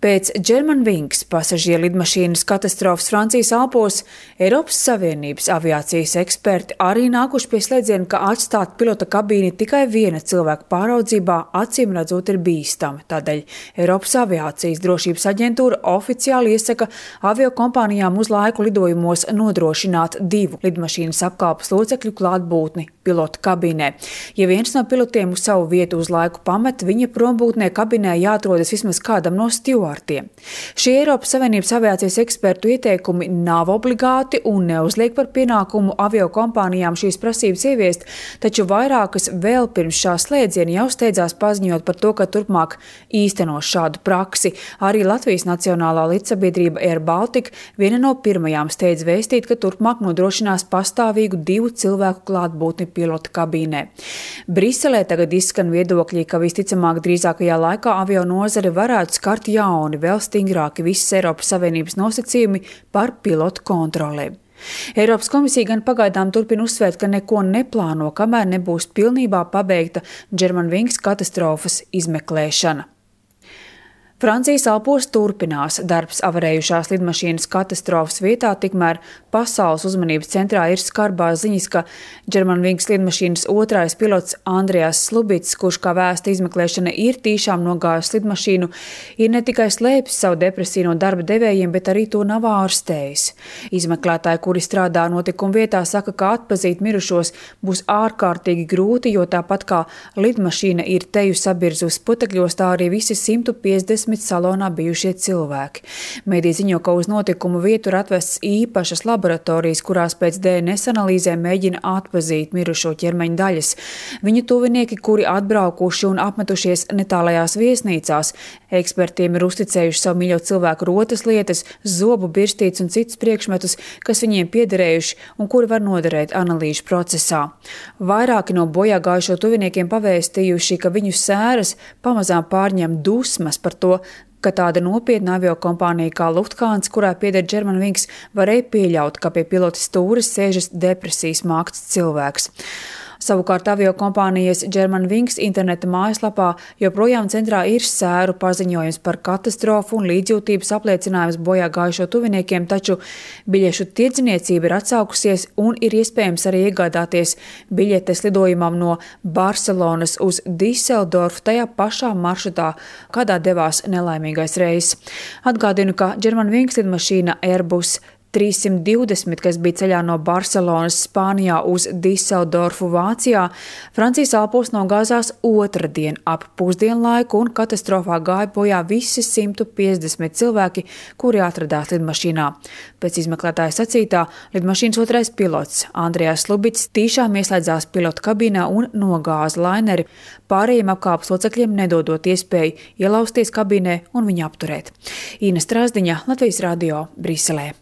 Pēc Germanwings pasažieru lidmašīnas katastrofas Francijas Alpos Eiropas Savienības aviācijas eksperti arī nākuši pie slēdziena, ka atstāt pilota kabīni tikai viena cilvēka pāraudzībā acīm redzot ir bīstami. Tādēļ Eiropas aviācijas drošības aģentūra oficiāli iesaka aviokompānijām uz laiku lidojumos nodrošināt 2 lidmašīnas apkalpes locekļu klātbūtni pilota kabīnē. Ja viens no pilotiem uz savu vietu uz laiku pamet, viņa prombūtnē kabīnē jāatrodas vismaz kādam no stjuardiem. Šie Eiropas Savienības aviācijas ekspertu ieteikumi nav obligāti un neuzliek par pienākumu aviokompānijām šīs prasības ieviest, taču vairākas vēl pirms šā slēdziena jau steidzās paziņot par to, ka turpmāk īstenos šādu praksi. Arī Latvijas Nacionālā lidsabiedrība Air Baltica viena no pirmajām steidz vēstīt, ka turpmāk nodrošinās pastāvīgu 2 cilvēku klātbūtni pilota kabīnē. Briselē tagad izskan viedokļi, ka visticamāk drīzākajā laikā avio nozare varētu skart jauni, vēl stingrāki visas Eiropas Savienības nosacījumi par pilotu kontrolēm. Eiropas komisija gan pagaidām turpina uzsvērt, ka neko neplāno, kamēr nebūs pilnībā pabeigta Germanwings katastrofas izmeklēšana. Francijas Alpos turpinās darbs avarējušās lidmašīnas katastrofas vietā, tikmēr pasaules uzmanības centrā ir skarbās ziņas, ka Germanwings lidmašīnas otrais pilots Andrejas Slubits, kurš kā vēsta izmeklēšana ir tīšām nogājis lidmašīnu, ir ne tikai slēpis savu depresiju no darba devējiem, bet arī to nav ārstējis. Izmeklētāji, kuri strādā notikuma vietā, saka, ka atpazīt mirušos būs ārkārtīgi grūti, jo tāpat kā lidmašīna ir teju sabirzus putekļos, tā arī visi 150 salonā bijušie cilvēki. Mediji ziņo, ka uz notikumu vietu ir atvestas īpašas laboratorijas, kurās pēc DNS analīzēm mēģina atpazīt mirušo ķermeņa daļas. Viņu tuvinieki, kuri atbraukuši un apmetušies netālajās viesnīcās, ekspertiem ir uzticējuši savu mīļo cilvēku rotas lietas, zobu birstītes un citus priekšmetus, kas viņiem piederējuši un kuri var noderēt analīžu procesā. Vairāki no bojāgājušo tuviniekiem pavēstījuši, ka viņu sēras pamazām pārņem dusmas par to, ka tāda nopietna aviokompānija kā Lufthansa, kurā pieder Germanwings, varēja pieļaut, ka pie pilota stūres sēžas depresijas mākts cilvēks. Savukārt aviokompānijas Germanwings interneta mājaslapā joprojām centrā ir sēru paziņojums par katastrofu un līdzjūtības apliecinājums bojāgājušo tuviniekiem, taču biļešu tirdzniecība ir atsaukusies un ir iespējams arī iegādāties biļetes lidojumam no Barcelonas uz Diseldorfu tajā pašā maršrutā, kādā devās nelaimīgais reiss. Atgādinu, ka Germanwings lidmašīna Airbus 320, kas bija ceļā no Barcelonas, Spānijā uz Diseldorfu, Vācijā, Francijas Alpos nogāzās otrdien ap pusdienlaiku un katastrofā gāja bojā visi 150 cilvēki, kuri atradās lidmašīnā. Pēc izmeklētāja sacītā, lidmašīnas otrais pilots Andrejas Slubits tīšām ieslēdzās pilota kabīnā un nogāza laineri, pārējiem apkalpes locekļiem nedodot iespēju ielausties kabīnē un viņu apturēt. Ina Strāzdiņa, Latvijas radio, Briselē.